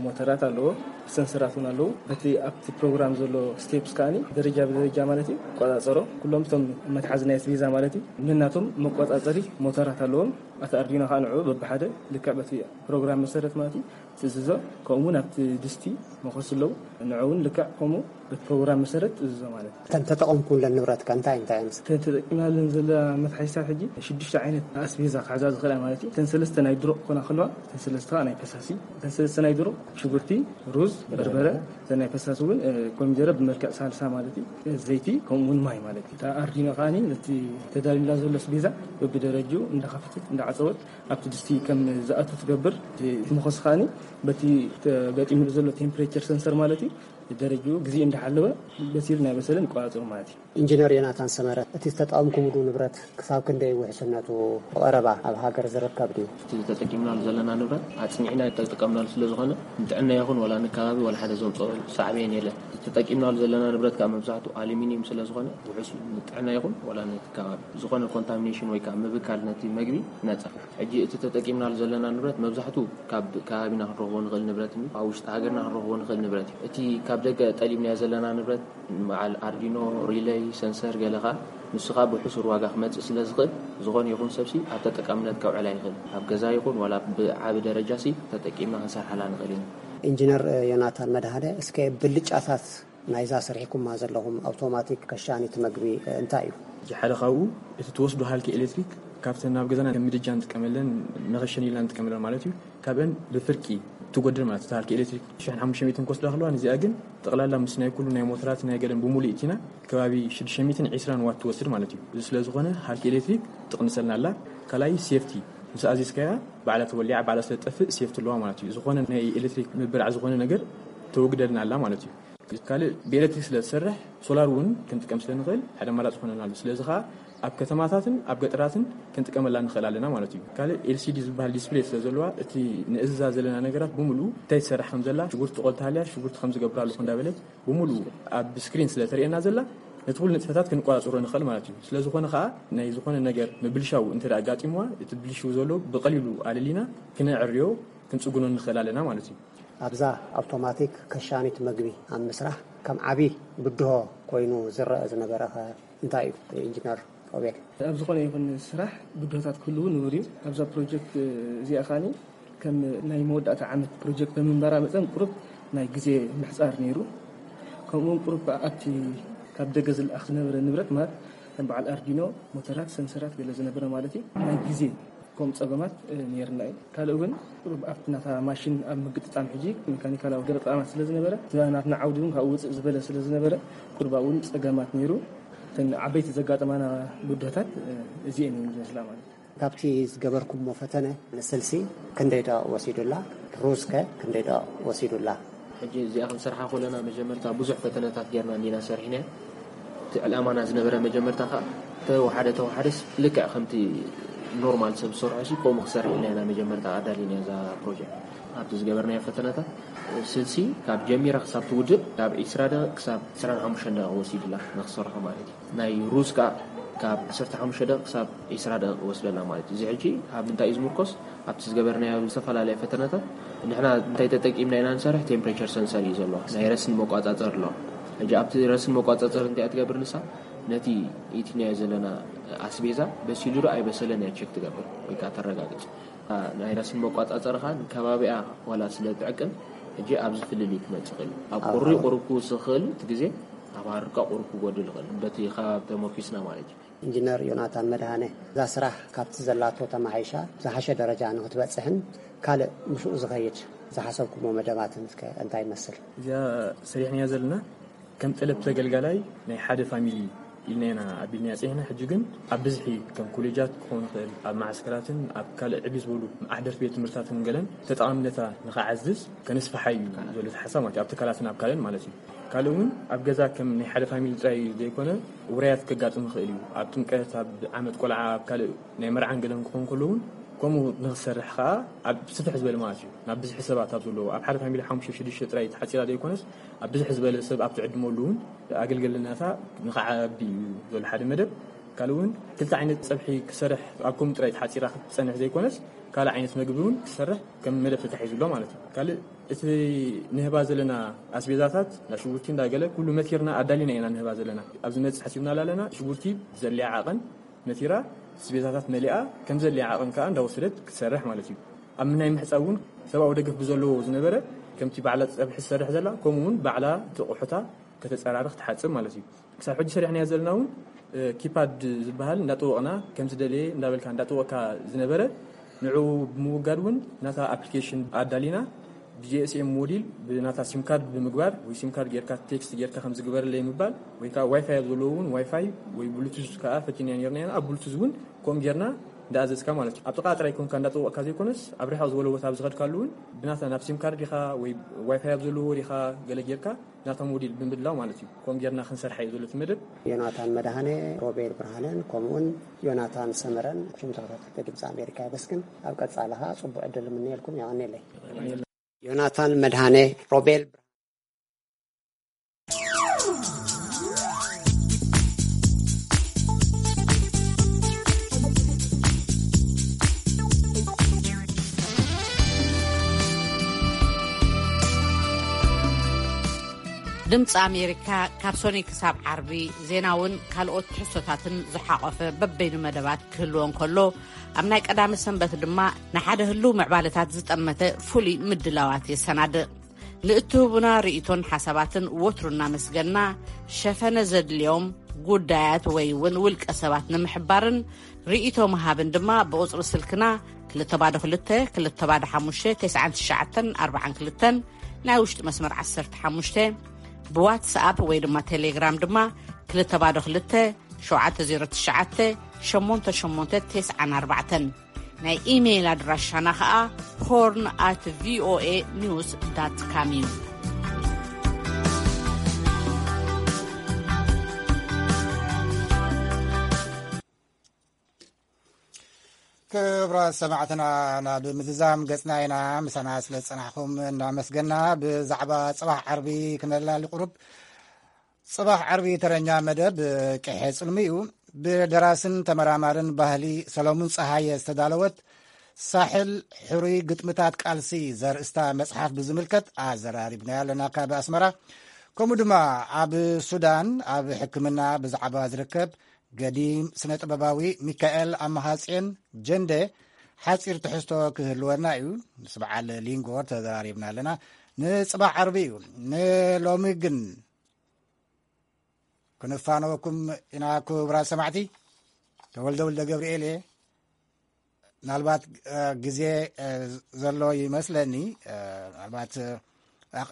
ሞተራት ኣለዎ፣ ሰንሰራት እውን ኣለዉ። በቲ ኣብቲ ፕሮግራም ዘሎ ስቴፕስ ከኣኒ ደረጃ ብደረጃ ማለት እዩ ይቆጻጸሮ። ኩሎም እቶም መትሓዚ ናይ ኣስቤዛ ማለት እዩ ነናቶም መቆጻጸሪ ሞተራት ኣለዎም። ኣቲ ኣርዲኖ ከዓ ንዕኡ በብሓደ ልክዕ በቲ ፕሮግራም መሰረት ማለት እዩ ትእዝዞ። ከምኡ እውን ኣብቲ ድስቲ መኾስ ኣለዉ፣ ንዕኡ እውን ልክዕ ከምኡ በቲ ፕሮግራም መሰረት ትእዝዞ ማለት እዩ። እተን ተጠቐምኩለን ንብረት ከ እንታይ እንታይ እየን? እተን ተጠቂምናለን ዘለና መትሓዚታት ሕጂ ሽዱሽተ ዓይነት ኣስቤዛ ክሕዛ ዝኽእላ ማለት እዩ። እተን ሰለስተ ናይ ድሩቕ ክኾና ከለዋ፣ እተን ሰለስተ ከዓ ናይ ፈሳሲ። እተን ሰለስተ ናይ ድሩቕ ሽጉርቲ፣ ሩዝ፣ በርበረ፣ እተን ናይ ፈሳሲ እውን እ፣ ኮሚደረ ብመልክዕ ሳልሳ ማለት እዩ፣ ዘይቲ ከምኡ እውን ማይ ማለት እዩ። እታ ኣርዲኖ ከዓኒ ነቲ ተዳልዩላ ዘሎ ኣስቤዛ በብደረጅኡ እንዳኸፈተት እንዳዓፀወት ኣብቲ ድስቲ ከም ዝኣቱ ትገብር። እቲ መኾስ ከዓኒ በቲ ተገጢሙሉ ዘሎ ቴምፕሬቸር ሰንሰር ማለት እዩ ደረጅኡ ግዜ እንዳሓለወ በሲሉ ናይ በሰለን ይቆጻጸሩ ማለት እዩ። ኢንጂነር ዮናታን ሰመረ፣ እቲ ዝተጠቐምኩምሉ ንብረት ክሳብ ክንደይ ውሕስነቱ ብቐረባ ኣብ ሃገር ዝርከብ ድዩ? እቲ ተጠቂምናሉ ዘለና ንብረት ኣጽኒዕና ተጠቀምናሉ ስለ ዝኾነ ንጥዕና ይኹን ዋላ ንከባቢ ዋላ ሓደ ዘምጽኦ ሳዕቤን የለን። እቲ ተጠቂምናሉ ዘለና ንብረት ከዓ መብዛሕትኡ ኣሉሚኒየም ስለ ዝኾነ ውሑስ ንጥዕና ይኹን ዋላ ነቲ ከባቢ ዝኾነ ኮንታሚኔሽን ወይ ከዓ ምብካል ነቲ መግቢ ነፃ። ሕጂ እቲ ተጠቂምናሉ ዘለና ንብረት መብዛሕትኡ ካብ ከባቢና ክንረኽቦ ንኽእል ንብረት እዩ። ኣብ ውሽጢ ሃገርና ክንረኽቦ ንኽእል ንብረት እዩ። እቲ ካብ ደገ ጠሊብናዮ ዘለና ንብረት በዓል ኣርዲኖ፣ ሪለይ፣ ሰንሰር ገለ ከዓ ንሱ ከዓ ብሕሱር ዋጋ ክመፅእ ስለ ዝኽእል ዝኾነ ይኹን ሰብሲ ኣብ ተጠቃምነት ከውዕላ ይኽእል። ኣብ ገዛ ይኹን ዋላ ብዓቢ ደረጃ ሲ ተጠቂምና ክንሰርሓላ ንኽእል ኢና። ኢንጂነር ዮናታን መድሃደ፣ እስከ ብልጫታት ናይዛ ሰሪሕኩማ ዘለኹም ኣውቶማቲክ ከሻኒት መግቢ እንታይ እዩ? እቲ ሓደ ካብኡ እቲ ትወስዶ ሃልኪ ኤሌክትሪክ ካብተን ናብ ገዛና ከም ምድጃ ንጥቀመለን መኸሸኒ ኢልና ንጥቀመለን ማለት እዩ። ካብአን ብፍርቂ ትጎድል ማለት እቲ ሃልኪ ኤሌክትሪክ ሽሕን ሓሙሽተ ሚእትን ክወስዳ ከለዋ ንዚኣ ግን ጠቕላላ ምስ ናይ ኩሉ ናይ ሞተራት ናይ ገለን ብሙሉ ኢቲና ከባቢ ሽዱሽተ ሚእትን ዕስራን ዋት ትወስድ ማለት እዩ። እዚ ስለ ዝኾነ ሃልኪ ኤሌክትሪክ ትቕንሰልና ኣላ። ካልኣይ ሴፍቲ ምስ ኣዚዝካያ ባዕላ ተወሊዓ ባዕላ ስለ ትጠፍእ ሴፍቲ ኣለዋ ማለት እዩ። ዝኾነ ናይ ኤሌክትሪክ ምብራዕ ዝኾነ ነገር ተወግደልና ኣላ ማለት እዩ። ካልእ ብኤሌክትሪክ ስለ ዝሰርሕ ሶላር እውን ክንጥቀም ስለ ንኽእል ሓደ ኣማራፂ ይኾነና ኣሎ። ስለዚ ከዓ ኣብ ከተማታትን ኣብ ገጠራትን ክንጥቀመላ ንኽእል ኣለና ማለት እዩ። ካልእ ኤልሲዲ ዝበሃል ዲስፕሌይ ስለ ዘለዋ እቲ ንእዝዛ ዘለና ነገራት ብምሉኡ እንታይ ትሰርሕ ከም ዘላ ሽጉርቲ ትቆል ተሃልያ ሽጉርቲ ከም ዝገብር ኣለኹ እንዳበለት ብምሉኡ ኣብ ስክሪን ስለ ተርእየና ዘላ ነቲ ኩሉ ንጥፈታት ክንቆፃፅሮ ንኽእል ማለት እዩ። ስለ ዝኾነ ከዓ ናይ ዝኾነ ነገር ምብልሻው እንተ ኣጋጢምዋ እቲ ብልሽው ዘሎ ብቐሊሉ ኣለሊና ክነዕርዮ ክንፅግኖ ንኽእል ኣለና ማለት እዩ። ኣብዛ ኣውቶማቲክ ከሻኒት መግቢ ኣብ ምስራሕ ከም ዓቢ ብድሆ ኮይኑ ዝረአ ዝነበረ ኸ እንታይ እዩ ኢንጂነር ሮቤል? ኣብ ዝኾነ ይኹን ስራሕ ብድሆታት ክህልዉ ንቡር እዩ። ኣብዛ ፕሮጀክት እዚኣ ኸኣኒ ከም ናይ መወዳእታ ዓመት ፕሮጀክት ብምንባራ መጠን ቁሩብ ናይ ግዜ ምሕጻር ነይሩ። ከምኡውን ቁሩብ ኣብቲ ካብ ደገ ዝለኣኽ ዝነበረ ንብረት ማለት ከም በዓል ኣርዲኖ፣ ሞተራት፣ ሰንሰራት ገለ ዝነበረ ማለት እዩ ናይ ግዜ ከም ፀገማት ነይርና እዩ። ካልእ እውን ቁሩብ ኣብቲ ናታ ማሽን ኣብ ምግጥጣም ሕጂ ሜካኒካላዊ ገለ ጠቐማት ስለ ዝነበረ እቲ ናትና ዓውዲ እውን ካብኡ ውፅእ ዝበለ ስለ ዝነበረ ቁሩብ ኣብኡ እውን ፀገማት ነይሩ። እተን ዓበይቲ ዘጋጠማና ብድሆታት እዚኤን እየን ዝመስላ ማለት እዩ። ካብቲ ዝገበርኩሞ ፈተነ ንስልሲ ክንደይ ደቂቕ ወሲዱላ? ሩዝ ከ ክንደይ ደቂቕ ወሲዱላ? ሕጂ እዚኣ ክንሰርሓ ከለና መጀመርታ ብዙሕ ፈተነታት ጌርና እንዲና ሰሪሕና። እቲ ዕላማና ዝነበረ መጀመርታ ከዓ ተወሓደ ተወሓደስ ልክዕ ከምቲ ኖርማል ሰብ ዝሰርሖ ሲ ከምኡ ክሰርሕ ኢልና ኢና መጀመርታ ኣዳሊና እዛ ፕሮጀክት። ኣብቲ ዝገበርናዮ ፈተነታት ስልሲ ካብ ጀሚራ ክሳብ ትውድእ ካብ ዒስራ ደቂቕ ክሳብ ዕስራን ሓሙሽተን ደቂቕ ወሲዱላ ንክሰርሖ ማለት እዩ። ናይ ሩዝ ከዓ ካብ ዓሰርተ ሓሙሽተ ደቂቕ ክሳብ ዒስራ ደቂቕ ወስደላ ማለት እዩ። እዚ ሕጂ ኣብ ምንታይ እዩ ዝምርኮስ? ኣብቲ ዝገበርናዮ ዝተፈላለያ ፈተነታት ንሕና እንታይ ተጠቂምና ኢና ንሰርሕ? ቴምፕሬቸር ሰንሰር እዩ ዘሎ፣ ናይ ረስኒ መቋፃፀር ኣሎ። ሕጂ ኣብቲ ረስኒ መቋፃፀር እንታይ እያ ትገብር ንሳ? ነቲ ኢትናዮ ዘለና ኣስቤዛ በሲሉ ዶ ኣይበሰለን እያ ቸክ ትገብር ወይ ከዓ ተረጋግፅ። ናይ ረስኒ መቋፃፀርኻ ንከባቢኣ ዋላ ስለ ትዕቅን ሕጂ ኣብዚ ፍልልይ ክመፅእ ይኽእል እዩ። ኣብ ቁሪ ቁሩብ ክውስኽ ይኽእል እዩ እቲ ግዜ፣ ኣብ ኣርቃቑሩ ክጎድል ይኽእል፣ በቲ ከባቢ ተመርኪስና ማለት እዩ። ኢንጂነር ዮናታን መድሃነ፣ እዛ ስራሕ ካብቲ ዘላቶ ተማሓይሻ ዝሓሸ ደረጃ ንክትበፅሕን ካልእ ምስኡ ዝኸይድ ዝሓሰብኩሞ መደባትን እስከ እንታይ ይመስል? እዚኣ ሰሪሕናያ ዘለና ከም ጠለብ ተገልጋላይ ናይ ሓደ ፋሚሊ ኢልና ኢና ኣቢልናያ ጸኒሕና። ሕጂ ግን ኣብ ብዝሒ ከም ኮሌጃት ክኾን ይኽእል፣ ኣብ መዓስከራትን ኣብ ካልእ ዕብይ ዝበሉ ኣሕደርቲ ቤት ትምህርትታትን ገለን ተጠቓምነታ ንኽዓዝዝ ከነስፍሓ እዩ ዘሎ እቲ ሓሳብ ማለት እዩ። ኣብ ትካላትን ኣብ ካልእን ማለት እዩ። ካልእ እውን ኣብ ገዛ ከም ናይ ሓደ ፋሚሊ ጥራይ ዘይኮነ ውራያት ከጋጥም ይኽእል እዩ። ኣብ ጥምቀት፣ ኣብ ዓመት ቆልዓ፣ ኣብ ካልእ ናይ መርዓን ገለን ክኾን ከሎ እውን ከምኡ ንኽሰርሕ ከኣ ኣብ ስፍሕ ዝበለ ማለት እዩ። ናብ ብዝሒ ሰባት ኣብ ዘለዎ፣ ኣብ ሓደ ፋሚሊ ሓሙሽተ ሽዱሽተ ጥራይ ተሓጺራ ዘይኮነስ ኣብ ብዝሕ ዝበለ ሰብ ኣብ ትዕድመሉ እውን ኣገልገልናታ ንኽዓቢ እዩ ዘሎ ሓደ መደብ። ካልእ እውን ክልተ ዓይነት ጸብሒ ክሰርሕ ኣብ ከምኡ ጥራይ ተሓጺራ ክትጸንሕ ዘይኮነስ ካልእ ዓይነት መግቢ እውን ክሰርሕ ከም መደብ ተታሒዙ ኣሎ ማለት እዩ። ካልእ እቲ ንህባ ዘለና ኣስቤዛታት እንዳ ሽጉርቲ እንዳገለ ኩሉ መቲርና ኣዳሊና ኢና ንህባ ዘለና። ኣብዚ መጽእ ሓሲብና ኣለና ሽጉርቲ ብዘድልያ ዓቐን መቲራ ኣስቤዛታት መሊኣ ከም ዘድልያ ዓቐን ከኣ እንዳወሰደት ክትሰርሕ ማለት እዩ። ኣብ ናይ ምሕጻብ እውን ሰብኣዊ ደገፍ ብዘለዎ ዝነበረ ከምቲ ባዕላ ጸብሒ ትሰርሕ ዘላ ከምኡ እውን ባዕላ እቲ ኣቑሑታ ከተጸራርኽ ትሓጽብ ማለት እዩ። ክሳብ ሕጂ ሰሪሕናዮ ዘለና እውን እ፣ ኪፓድ ዝበሃል እንዳጠወቕና ከም ዝደለየ እንዳበልካ እንዳጠወቕካ ዝነበረ ንዕኡ ብምውጋድ እውን ናታ ኣፕሊኬሽን ኣዳሊና ብጂኤስኤም ሞዲል ብናታ ሲም ካርድ ብምግባር ወይ ሲም ካርድ ጌርካ ቴክስት ጌርካ ከም ዝግበረለይ ምባል ወይ ከዓ ዋይፋይ ኣብ ዘለዎ እውን ዋይፋይ ወይ ብሉቱዝ ከዓ ፈቲና ነርና ኢና። ኣብ ብሉቱዝ እውን ከምኡ ጌርና እንዳኣዘዝካ ማለት እዩ። ኣብ ጥቓ ጥራይ ኮንካ እንዳጠወቕካ ዘይኮነስ ኣብ ርሕቕ ዝበለ ቦታ ኣብ ዝኸድካሉ እውን ብናታ ናብ ሲም ካርድ ዲኻ ወይ ዋይፋይ ኣብ ዘለዎ ዲኻ ገለ ጌርካ ናታ ሞዲል ብምድላው ማለት እዩ። ከምኡ ጌርና ክንሰርሓ እዩ ዘሎ እቲ መደብ። ዮናታን መድሃነ፣ ሮቤል ብርሃነን ከምኡውን ዮናታን ሰመረን ሽም ተኸታተልቲ ድምፂ ኣሜሪካ የመስግን። ኣብ ቀፃሊ ኸዓ ፅቡቅ ዕድል እምነየልኩም። የቐንየለይ። ዮናታን መድሃነ፣ ሮቤል ድምፂ ኣሜሪካ ካብ ሶኒ ክሳብ ዓርቢ ዜናውን ካልኦት ትሕዝቶታትን ዝሓቆፈ በበይኑ መደባት ክህልዎ እንከሎ፣ ኣብ ናይ ቀዳመ ሰንበት ድማ ንሓደ ህልው ምዕባለታት ዝጠመተ ፍሉይ ምድላዋት የሰናድእ። ንእትህቡና ርእይቶን ሓሳባትን ወትሩ እናመስገና፣ ሸፈነ ዘድልዮም ጉዳያት ወይ እውን ውልቀ ሰባት ንምሕባርን ርእይቶ ምሃብን ድማ ብቁጽሪ ስልክና ክልተ ባዶ ክልተ፣ ክልተ ባዶ ሓሙሽተ፣ ተስዓን ትሽዓተን ኣርባዓን ክልተን፣ ናይ ውሽጢ መስመር ዓሰርተ ሓሙሽተ፣ ብዋትስኣፕ ወይ ድማ ቴሌግራም ድማ ክልተ ባዶ ክልተ፣ ሸውዓተ ዜሮ ትሽዓተ፣ ሸሞንተ ሸሞንተ ተስዓን ኣርባዕተን። ናይ ኢሜይል ኣድራሻና ኸኣ ሆርን ኣት ቪኦኤ ኒውስ ዳት ካም እዩ። ክቡራት ሰማዕትና፣ ናብ ምዝዛም ገጽና ኢና። ምሳና ስለ ዝጸናሕኩም እናመስገና፣ ብዛዕባ ጽባሕ ዓርቢ ክነላሊ ቁሩብ። ጽባሕ ዓርቢ ተረኛ መደብ ቅሐ ጽልሚ እዩ። ብደራስን ተመራማርን ባህሊ ሰሎሙን ጸሃየ ዝተዳለወት ሳሕል ሕሩይ ግጥምታት ቃልሲ ዘርእስታ መጽሓፍ ብዝምልከት ኣዘራሪብናዮ ኣለና ካብ ኣስመራ። ከምኡ ድማ ኣብ ሱዳን ኣብ ሕክምና ብዛዕባ ዝርከብ ገዲም ስነ ጥበባዊ ሚካኤል ኣማሃጽዮን ጀንደ ሓጺር ትሕዝቶ ክህልወና እዩ። ምስ በዓል ሊንጎር ተዘራሪብና ኣለና። ንጽባሕ ዓርቢ እዩ። ንሎሚ ግን ክንፋነወኩም ኢና ክቡራት ሰማዕቲ። ተወልደ ወልደ ገብርኤል እየ። ምናልባት፣ እ፣ ግዜ፣ እ፣ ዘሎ ይመስለኒ። እ፣ ምናልባት፣ እ፣ ኣቕ-፣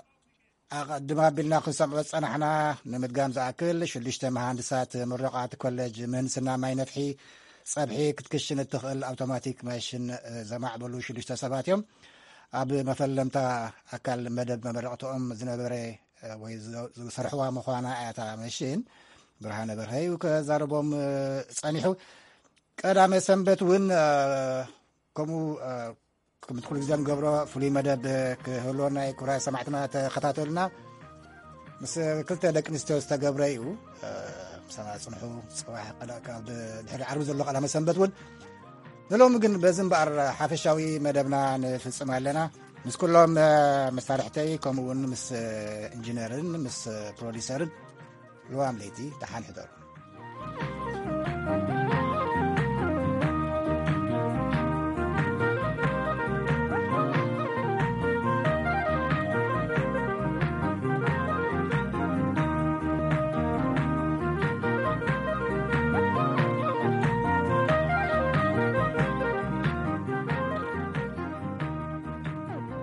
ኣቐድም ኣቢልና ክንሰምዖ ዝጸናሕና ንምድጋም ዝኣክል፣ ሽዱሽተ መሃንድሳት ምሩቓት ኮሌጅ ምህንድስና ማይ ነፍሒ ጸብሒ ክትክሽን እትኽእል ኣውቶማቲክ ማሽን፣ እ፣ ዘማዕበሉ ሽዱሽተ ሰባት እዮም። ኣብ መፈለምታ ኣካል መደብ መመረቕትኦም ዝነበረ፣ እ፣ ወይ ዝ-፣ ዝሰርሕዋ ምዃና እያ እታ መሽን። ብርሃነ በርሀ እዩ ከዛርቦም፣ እ፣ ጸኒሑ። ቀዳመ ሰንበት እውን፣ እ፣ ከምኡ፣ እ፣ ከምቲ ኩሉ ግዜ ንገብሮ ፍሉይ መደብ ክህልወና እዩ። ክቡራት ሰማዕትና ተኸታተሉና። ምስ ክልተ ደቂ ኣንስትዮ ዝተገብረ እዩ። እ፣ ምሳና ጽንሑ። ጽባሕ ቀዳ-፣ ካብ ድሕሪ ዓርቢ ዘሎ ቀዳመ ሰንበት እውን ንሎሚ ግን በዚ እምበኣር ሓፈሻዊ መደብና ንፍጽም ኣለና። ምስ ኩሎም፣ እ፣ መሳርሕተይ ከምኡ እውን ምስ፣ እ፣ ኢንጂነርን ምስ፣ እ፣ ፕሮዲሰርን ልዋም ለይቲ ደሓን ሕደሩ።